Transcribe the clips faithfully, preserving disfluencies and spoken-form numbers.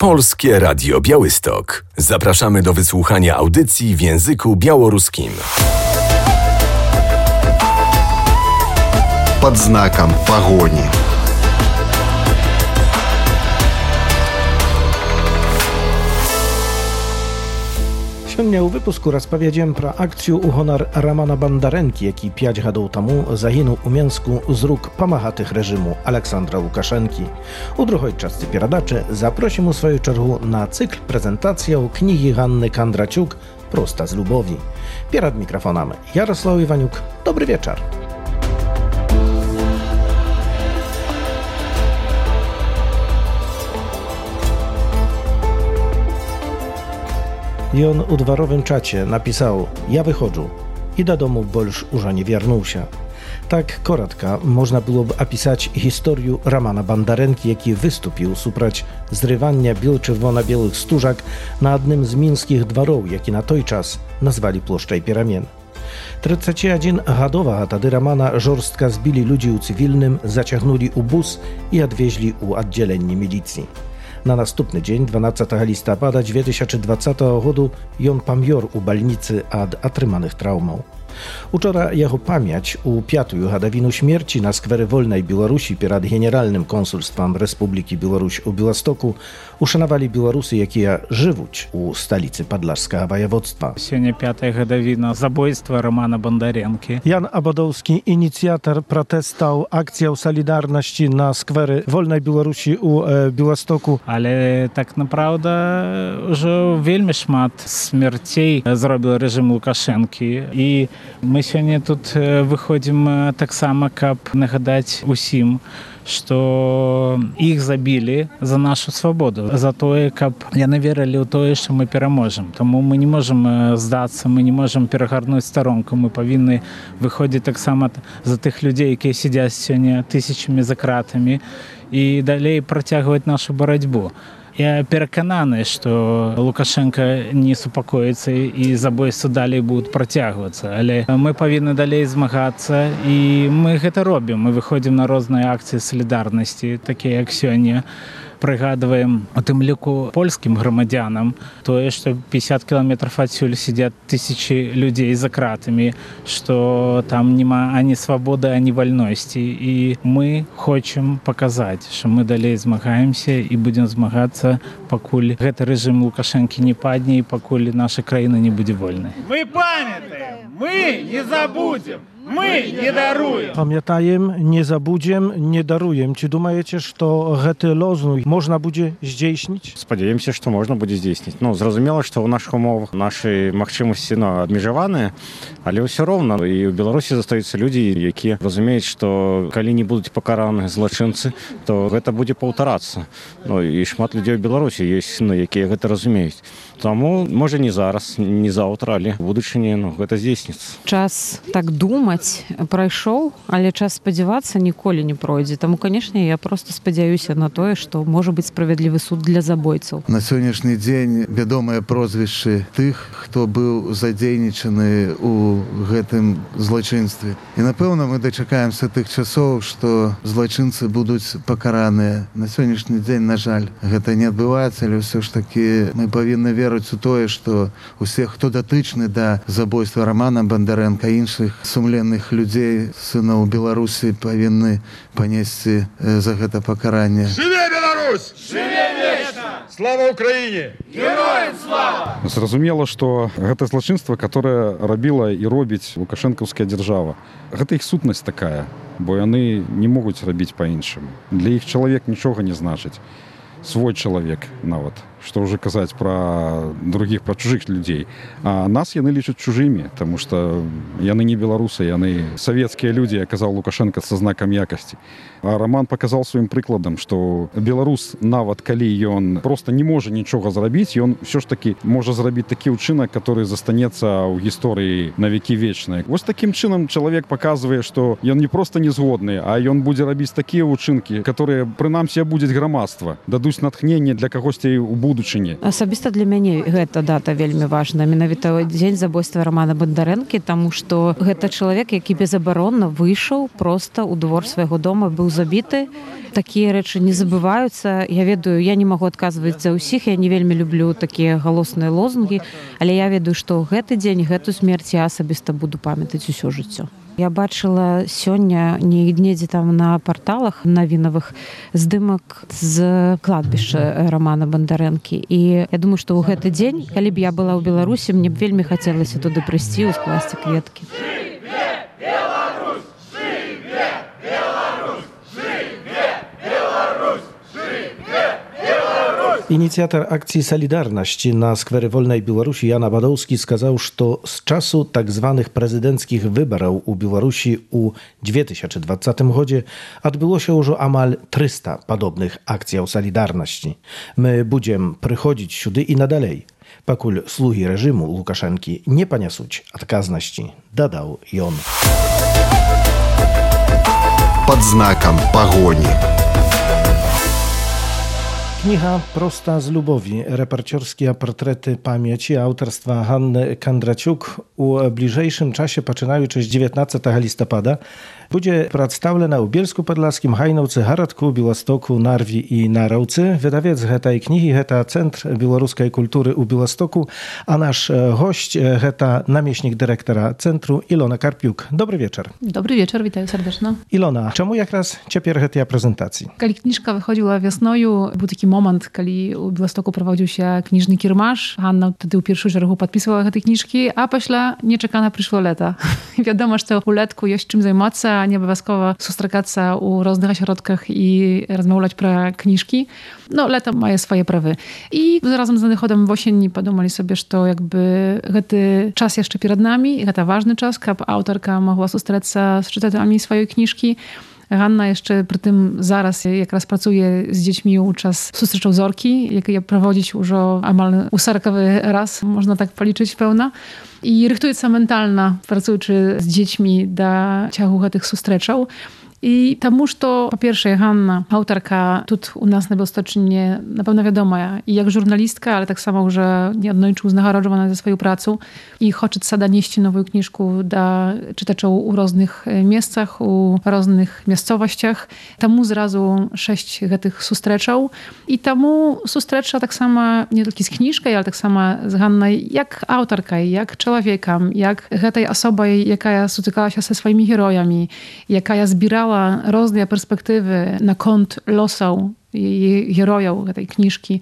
Polskie Radio Białystok. Zapraszamy do wysłuchania audycji w języku białoruskim. Под знаком погони. Сёння ў выпуску распавядзем пра акцыю ў гонар Рамана Бандарэнкі, які пяць гадоў таму загінуў у Менску з рук памагатых рэжыму Александра Лукашэнкі. У другой частцы перадачы запросім у сваю чаргу на цыкл прэзентацыяў кнігі Ганны Кандрачук «Проста з любові». Перад мікрафонам Ярослав Іванюк. Добры вечар. Ён у dworowym czacie napisał: ja wychodzę i do domu больш уже не вернуўся. Tak krótka można byłoby opisać historię Ramana Bandarэнкі, jaki wystąpił suprać zrywania biel-czerwona-białych stużak na jednym z mińskich dworów, jaki na той czas nazwali Ploszczej Pieramien. trzydziestojednogadowa tedy Ramana żorstka zbili ludzi u cywilnym, zaciągnęli u bus i odwieźli u oddzielenie milicji. Na następny dzień, dwunastego listopada dwa tysiące dwudziestego roku, jon pamior u balnicy od atrymanych traumą. Wczoraj jego pamięć u piątą gadowinu śmierci na skwerze Wolnej Białorusi przed Generalnym Konsulstwem Republiki Białoruś u Białostoku uszanowali Białorusy, jakie żywą u stolicy Podlaskiego województwa. Сегодня пятая годовина zabójstwa Романа Бондаренки. Jan Abadowski, inicjator protestów, akcją Solidarności na skwerze Wolnej Białorusi u e, Białostoku. Ale tak naprawdę już wiele szmat śmierci zrobił reżim Łukaszenki i my сегодня тут выходим так само, как нагадать усім, что их забили за нашу свободу, за то, как яны верили в то, что мы переможем. Тому мы не можем сдаться, мы не можем перегорнуть сторонку, мы повинны выходить так само за тех людей, которые сидят сегодня тысячами за кратами, и далее протягивать нашу борьбу. Я переконаний, що Лукашенко не супокоїться і забойства далі будуть протягуватися. Але ми повинні далі змагатися, і ми це робимо. Ми виходимо на різні акції солідарності, такі як сьогодні. Пригадуємо тим ліку польським громадянам, то, що п'ятдесят кілометрів відсюди сидять тисячі людей за кратами, що там немає ані свободи, ані вольності. І ми хочемо показати, що ми далі змагаємося і будемо змагатися, поки цей режим Лукашенки не падне і поки наша країна не буде вольною. Ми пам'ятаємо, ми не забудемо. My nie darujemy. Pamiętajem, nie zabudziem, nie darujem. Czy думаете, что гэты лозунг можно будет здійснить? Спадзяёмся, што можна будзе здзейсніць. Ну, зразумела, што ў нашых умовах нашы магчымасці ну, абмежаваныя, але ўсё роўна. І ў Беларусі застаюцца людзі, якія разумеюць, што калі не будуць пакараны злачынцы, то гэта будзе паўтарацца. Ну, і шмат людзей у Беларусі ёсць, ну, якія гэта разумеюць. Таму, можа, не зараз, не заўтра, але ў будучыні ну, гэта здзейсніцца. Час так думаць прайшоў, але час спадзявацца ніколі не пройдзе. Таму, канешне, я проста спадзяюся на тое, што можа быць справядлівы суд для забойцаў. На сённяшні дзень вядомыя прозвішчы тых, хто быў задзейнічаны ў гэтым злачынстве. І, напэўна, мы дачакаемся тых часоў, што злачынцы будуць пакараныя. На сённяшні дзень, на жаль, гэта не адбываецца, але ўсё ж такі мы павінны верыць у тое, што усе, хто датычны да забойства Рамана Бандарэнка і іншых сумленных людзей, сынаў Беларусі, павінны панесці за гэта пакаранне. Жыве Беларусь! Жыве вечна! Слава Украіне! Героям слава! Зразумела, што гэта злачынства, которое рабіла і робіць лукашэнкаўская дзяржава. Гэта іх сутнасць такая, бо яны не могуць рабіць па-іншаму. Для іх чалавек нічога не значыць. Свой чалавек нават. Што ўжо казаць пра другіх, пра чужых людзей. А нас яны лічаць чужымі, таму што яны не беларусы, яны савецкія людзі, як казаў Лукашенко, са знакам якасці. А Раман паказаў сваім прыкладам, што беларус, нават калі ён проста не можа нічога зрабіць, ён ўсё ж такі можа зрабіць такі ўчынак, который застанецца ў гісторыі на векі вечныя. Вось такім чынам чалавек паказвае, што ён не проста не згодны, а ён будзе рабіць такія ўчынкі, которые прынамсі абудзяць грамадства, дадуць знойдуць натхненне для кагосьці ў будучыні. Асабіста для мяне гэта дата вельмі важная. Менавіта дзень забойства Романа Бандарэнкі, таму што гэта чалавек, які безабаронна выйшаў проста ў двор свайго дома, быў забіты. Такія рэчы не забываюцца. Я ведаю, я не магу адказваць за ўсіх, я не вельмі люблю такія галосныя лозунгі, але я ведаю, што гэты дзень, гэту смерць я асабіста буду памятаць усё жыццё. Я бачыла сёння недзе там на парталах навінавых здымак з кладбішча Романа Бандарэнкі. І я думаю, што ў гэты дзень, калі б я была ў Беларусі, мне б вельмі хацелася туды прыйсці, скласці кветкі. Inicjator akcji Solidarności na skwery Wolnej Białorusi Jan Badowski skazał, że z czasu tak zwanych prezydenckich wyborów u Białorusi u dwa tysiące dwudziestym roku odbyło się już amal trzysta podobnych akcji Solidarności. My będziemy przychodzić siudy i nadalej, pakul sługi reżimu Łukaszenki nie poniasuć odkazności, dodał i on. Pod znakiem pogoni. Kniha Prosta z Lubowi, reporterskie portrety pamięci autorstwa Hanny Kandraciuk u bliżejszym czasie, poczynając dziewiętnastego listopada, będzie przedstawiona w Bielsku-Podlaskim, Hajnowce, Haradku, Białostoku, Narwi i Narawce. Wydawiec tej knihy to Centr Białoruskiej Kultury u Białostoku, a nasz gość to namiestnik dyrektora centru Ilona Karpiuk. Dobry wieczór. Dobry wieczór, witam serdecznie. Ilona, czemu jak raz ciepło tej prezentacji? Kiedy kniżka wychodziła wiosnoju, był taki moment, kiedy u Białostoku prowadził się kniżny kiermasz. Hanna wtedy u pierwszego szeregu podpisywała te kniżki, a pośle nieczekane przyszło lata. Wiadomo, że u letku jest czym zajmować, a nie obowiązkowo sustrzegаться u różnych ośrodkach i rozmawiać pro kniżki. No, lato ma swoje prawy. I razem z nadchodem w osieni podumali sobie, że to jakby ten czas jeszcze przed nami, to ważny czas, aby autorka mogła sustrzegаться z czytaczami swojej kniżki. Hanna jeszcze przy tym zaraz, jak raz pracuje z dziećmi u czas sustrzeczą zorki, jak je prowadzić już amal usarkowy raz, można tak policzyć pełna. I rychtuje mentalna, pracując z dziećmi do ciachu tych sustrzeczą. I тому, что, po pierwsze, Hanna, autorka, tu u nas na Białostoczynie na pewno wiadoma i jak żurnalistka, ale tak samo, że nieodnośnie uznagrodzona za swoją pracę i chce sada nieść nową książkę do czytaczów u różnych miejscach, u różnych miejscowościach. Temu zrazu sześć tych sustrzeczał i temu sustrecza tak samo nie tylko z książką, ale tak samo z Hanną, jak autorka, jak człowiekiem, jak tej osobą, jaka spotykała się ze swoimi herojami, jaka zbierała różne perspektywy na kąt losów i herojów tej książki.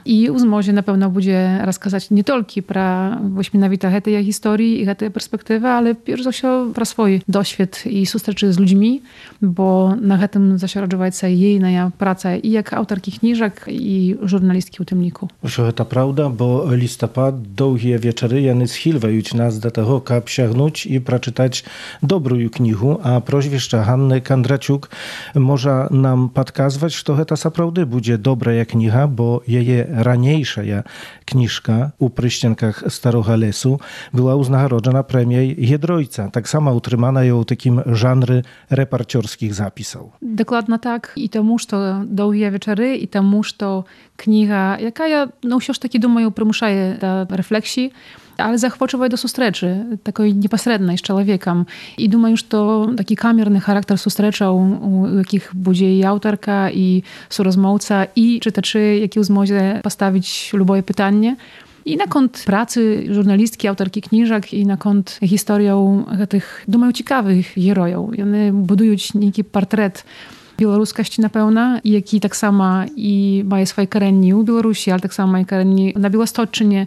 I uzmozie na pewno będzie rozkazać nie tylko pro wyśmienowite tej historii i tej perspektywy, ale pierwsze wszystko pro swój doświad i sustreczy z ludźmi, bo na tym zasiorodziła się jej praca i jak autorki książek i żurnalistki u tymniku. Wszystko to prawda, bo listopad, długie wieczory, jany schilwają nas do tego, aby sięgnąć i przeczytać dobrą knigę, a proświeszcza Hanny Kandraciuk może nam podkazywać, że to naprawdę będzie dobra jak kniha, bo jej raniejsza kniżka u pryściankach Starego Lesu była uznagrodzona premią Jedrojca. Tak samo utrzymana ją takim żanry reporterskich zapisów. Dokładnie tak. I temu, że długie wieczory, i temu, że kniha, jaka ja, no już taki думаю, przymuszaje do refleksji, ale zachwyciła do sustreczy, takiej nieposredniej z człowiekiem. I думаю, że to taki kamerny charakter sustreczał, u jakich będzie i autorka, i surozmowca, i czytaczy, jaki uzmozie postawić luboje pytanie. I na kąt pracy żurnalistki, autorki książek i na kąt historią tych, думаю, ciekawych herojów. I one budują taki portret białoruskości na pełna, jaki tak samo i ma swoje korzenie u Białorusi, ale tak samo ma korzenie na Białostoczynie.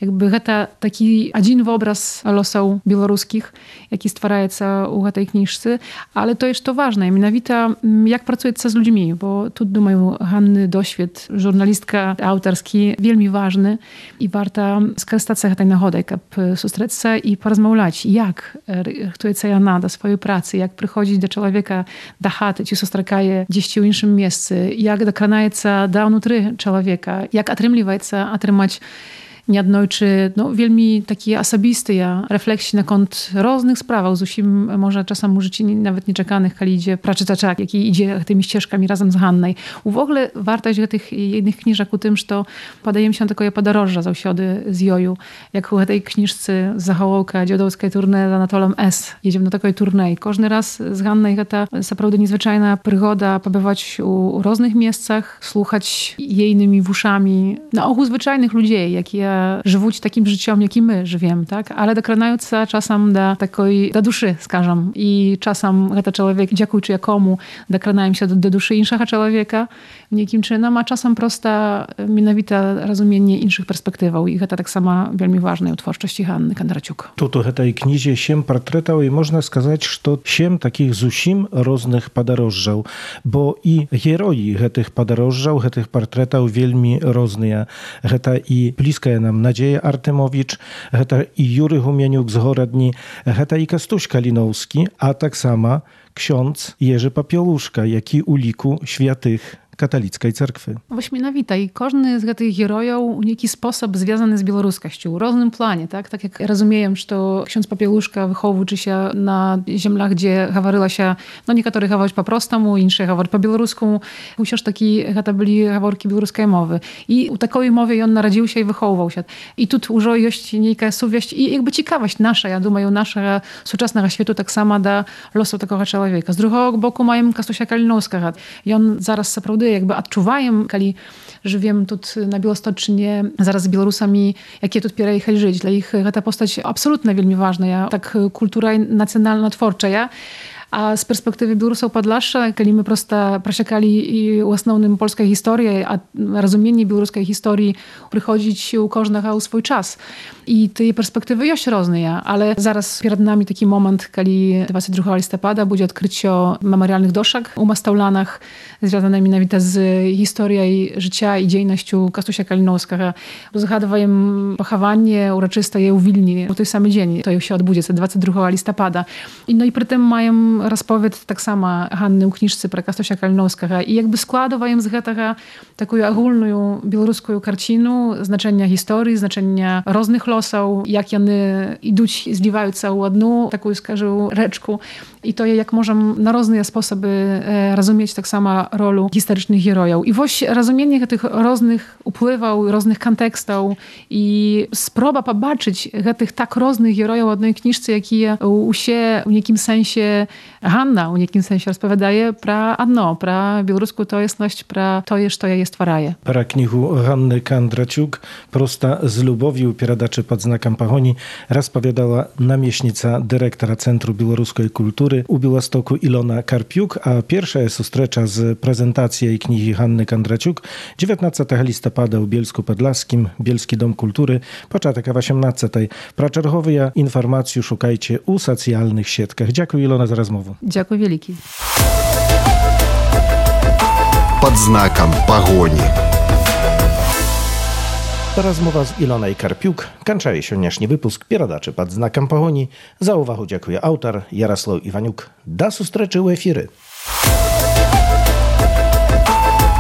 Jakby to taki jeden obraz losów białoruskich, jaki stwarzaється u tej książce, ale to jest to ważne, mianowicie jak pracuje się z ludźmi, bo tu, думаю, Hanny doświad, żurnalistka autorski, wielmi ważny i warto skorzystać z tej nagody, aby sustrzec się i porozmawiać, jak rychtuje się ona do swojej pracy, jak przychodzi do człowieka, do chaty, czy sustrzekaje gdzieś w innym miejscu, jak dokranaje się do wnutry człowieka, jak otrzymuje się otrzymać nieadnojczy, no, wielmi taki osobisty refleksji na kont różnych spraw, z usim może czasem u życiu nawet nieczekanych, kiedy idzie praczytaczak, jaki idzie tymi ścieżkami razem z Hannej. W ogóle wartość tych jednych książek u tym, że podajemy się takiego podorожжа zawsiody z joju, jak u tej książce Zachołka, dziadowskiej turne z Anatolem S. Jedziemy na takiej turnej. Każdy raz z Hannej to naprawdę niezwyczajna przygoda, pobywać u, u różnych miejscach, słuchać jejnymi uszami, na ogół zwyczajnych ludzi, jakie żyją takim życiem, jakim my żyjemy, tak? Ale dokradając się czasem do takiej, do duszy, skażem. I czasem ten człowiek, dziękujący jakomu, dokradają się do, do duszy innego człowieka, niekim czynem, a czasem prosta, mianowita rozumienie innych perspektyw. I to tak samo bardzo ważne w twórczości Hanny Kondraciuk. Tu w tej knizie siem portretów i można сказать, że siem takich zusim różnych podorожжаў, bo i heroi tych podorожжаў, tych portretów wielmi różne. To i bliska nam Nadzieja Artemowicz, to i Jury Humieniuk z Horadni, to i Kastuś Kalinowski, a tak samo ksiądz Jerzy Papiełuszka, jaki u liku świętych katolickiej cerkwy. Ośmienowita i każdy z tych herojów w jakiś sposób związany z białoruskością, w różnym planie, tak? Tak jak rozumiem, że to ksiądz Papiełuszka wychowuje się na ziemiach, gdzie gawaryła się, no niektórzy gaworzyć po prostemu, inni gaworzyć po białorusku, chociaż taki, to byli gaworki białoruskiej mowy. I u takiej mowy on narodził się i wychowywał się. I tu już jest niejaka suwieść i jakby ciekawość nasza, ja думаю, naszego współczesnego świata tak samo do losu takiego człowieka. Z drugiego boku mają Kastusia Kalinowskiego i on zaraz naprawdę jakby odczuwają, kiedy żyjemy tu na Białostocznie, zaraz z Białorusami, jakie tu pierwsze żyć. Dla ich ta postać absolutnie wielmi ważna, tak kultura nacjonalna, twórcza. Ja. A z perspektywy Białorusów Podlasza, kiedy my prosto przesiekali i w основnym polskiej historii, a rozumienie białoruskiej historii przychodzić u każdego swój czas. I tej perspektywy jest różne, ale zaraz przed nami taki moment, kiedy dwudziestego drugiego listopada będzie odkrycie memorialnych doszek u Mastaulanach, związanych mianowicie z historią życia i dziejnością Kastusia Kalinowskiego. Zgadujemy pochowanie uroczyste je u Wilni w ten sam dzień, to się odbędzie dwudziestego drugiego listopada. I no i przy tym mają rozpowiedź tak samo Hanny u książce pro Kastusia Kalinowskiego i jakby składają z tego taką ogólną białoruską karcinę znaczenia historii, znaczenia różnych losów, jak one idą, zliwają się w jedną taką, skażę, rzeczkę. I to jak możemy na różne sposoby rozumieć tak samo rolę historycznych herojów. I właśnie rozumienie tych różnych upływów, różnych kontekstów i spróba pobaczyć tych tak różnych herojów w jednej książce, jakie u się w jakim sensie Hanna w jakim sensie rozpowiadaje pra одно, pra białoruską tojesność, pra to jest, to ja jest twaraje. Para knihu Hanny Kondraciuk, prosta z lubowiu pieradaczy pod znakiem pahoni, rozpowiadała namieśnica dyrektora Centrum Białoruskiej Kultury u Białostoku Ilona Karpiuk, a pierwsza jest ustrecza z prezentacji jej knihi Hanny Kondraciuk dziewiętnastego listopada w Bielsku Podlaskim, Bielski Dom Kultury, początek osiemnastego. Praczerchowe informacje szukajcie u socjalnych siatkach. Dziękuję Ilona za rozmowę. Dziękuję wielki. Pod znakiem pogoni. To rozmowa z Ilonej Karpiuk. Kończy się dzisiejszy wypusk Pieradaczy pod znakiem pogoni. Za uwagę dziękuję autor Jarosław Iwaniuk. Do zustreczy u efiry.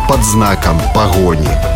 Pod znakiem pogoni.